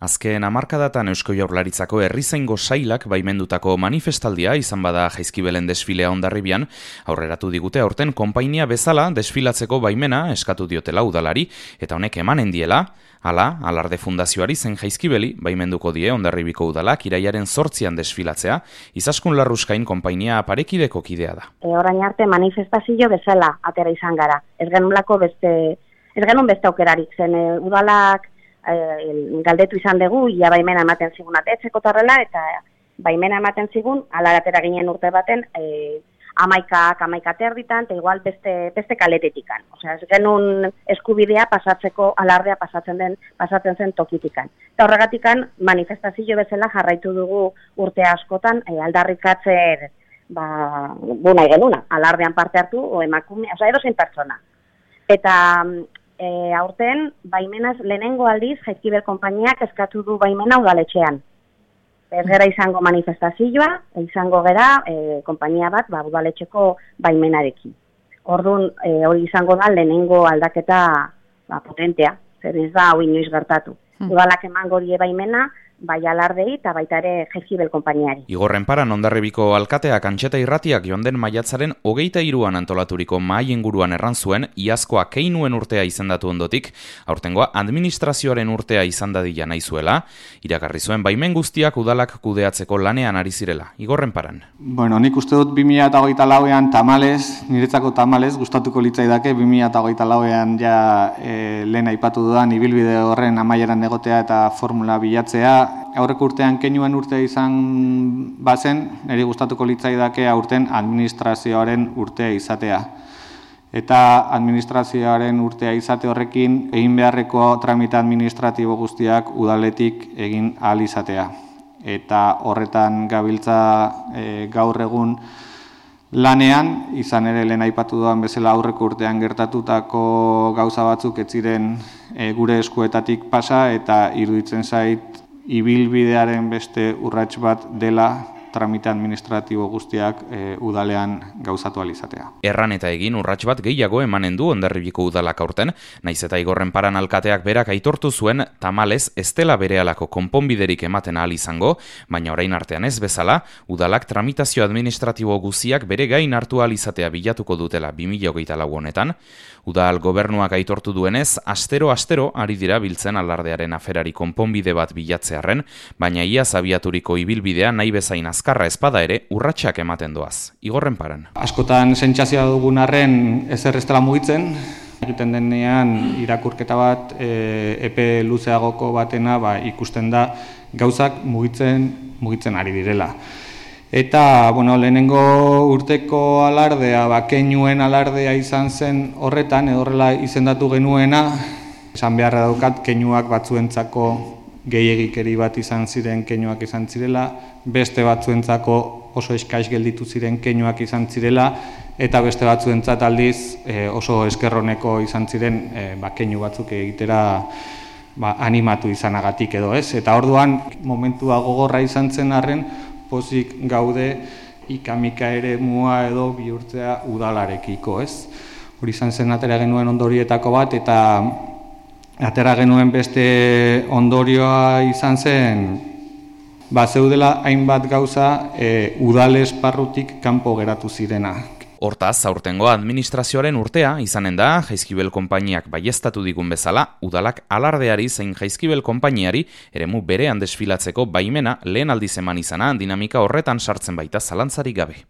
Azken hamarkadatan Eusko Jaurlaritzako herrizaingo sailak baimendutako manifestaldia izan bada Jaizkibelen desfilea Hondarribian, aurreratu digute aurten konpainia bezala desfilatzeko baimena eskatu diotela udalari, eta honek emanen diela, Alarde Fundazioari zen Jaizkibeli baimenduko die Hondarribiko udalak irailaren 8an desfilatzea, Izaskun Larruskain konpainia parekideko kidea da. Orain arte manifestazio bezala atera izan gara. Ez genuen beste aukerarik zen udalak galdetu izan dugu, ia baimena ematen zigun atetzeko tarrela, eta baimena ematen zigun, alatera ginen urte baten, 11 terditan, eta igual beste kaletetikan. Osea, ez genuen eskubidea pasatzeko, alardea pasatzen zen tokitikan. Eta horregatikan, manifestazio bezala jarraitu dugu urte askotan, aldarrikatzen, nahi genuna, alardean parte hartu, o emakume, osea, edozein pertsona. Eta aurten, baimenaz lehenengo aldiz, Jaizkibel konpainiak eskatu du baimena udaletxean. Ez gera izango manifestazioa, izango gera konpainia bat udaletxeko baimenarekin. Orduan, hori izango da lehenengo aldaketa potentea, zer ez da hau inoiz gertatu. Udalak emango die baimena, bai alardei eta baita ere Jaizkibel konpainiari. Igorren paran Hondarribiko alkateak Antxeta Irratiak joan den maiatzaren 23an antolaturiko mahai inguruan erran zuen, iazkoa keinuen urtea izendatu ondotik, aurtengoa administrazioaren urtea izan dadila nahi zuela, iragarri zuen baimen guztiak udalak kudeatzeko lanean ari zirela. Igorren paran. Bueno, nik uste dut 2024an niretzako tamales, gustatuko litzaidake 2024an lehen aipatu dudan ibilbide horren amaieran egotea eta formula bilatzea. Aurreko urtean keinuen urtea izan bazen, niri gustatuko litzaidake aurten administrazioaren urtea izatea. Eta administrazioaren urtea izate horrekin egin beharreko tramite administratibo guztiak udaletik egin ahal izatea. Eta horretan gabiltza gaur egun lanean, izan ere lehen aipatu dudan bezala aurreko urtean gertatutako gauza batzuk ez ziren gure eskuetatik pasa, eta iruditzen zait ibilbidearen beste urrats bat dela tramite administratibo guztiak udalean gauzatu ahal izatea. Erran eta egin urrats bat gehiago emanen du Hondarribiko udalak aurten, naiz eta Igorren paran alkateak berak aitortu zuen tamalez ez dela berehalako konponbiderik ematen ahal izango, baina orain artean ez bezala, udalak tramitazio administratibo guztiak bere gain hartu ahal izatea bilatuko dutela 2024 honetan. Udal gobernuak aitortu duenez, astero ari dira biltzen alardearen aferari konponbide bat bilatzearren, baina iaz abiaturiko ibilbidea nahi bezain azkarra ezpada ere urratsak ematen doaz. Igorren paran. Askotan sentsazioa dugun arren ezer ez dela mugitzen, egiten denean irakurketa bat epe luzeagoko batena ikusten da gauzak mugitzen ari direla. Eta, lehenengo urteko alardea, keinuen alardea izan zen horretan, horrela izendatu genuena, esan beharra daukat, keinuak batzuentzako gehiegikeri bat izan ziren keinuak izan zirela, beste batzuentzako oso eskais gelditu ziren keinuak izan zirela, eta beste batzuentzat aldiz oso eskerroneko izan ziren keinu batzuk egitera animatu izanagatik edo ez. Eta orduan, momentua gogorra izan zen arren, pozik gaude ikamika ere mua edo bihurtzea udalarekiko, ez? Hori izan zen atera genuen ondorietako bat, eta atera genuen beste ondorioa izan zen, zeudela hainbat gauza udal esparrutik kanpo geratu zirena. Hortaz, aurtengo administrazioaren urtea izanen da, Jaizkibel konpainiak baieztatu digun bezala, udalak alardeari zein Jaizkibel konpainiari eremu berean desfilatzeko baimena lehen aldiz eman izana dinamika horretan sartzen baita zalantzarik gabe.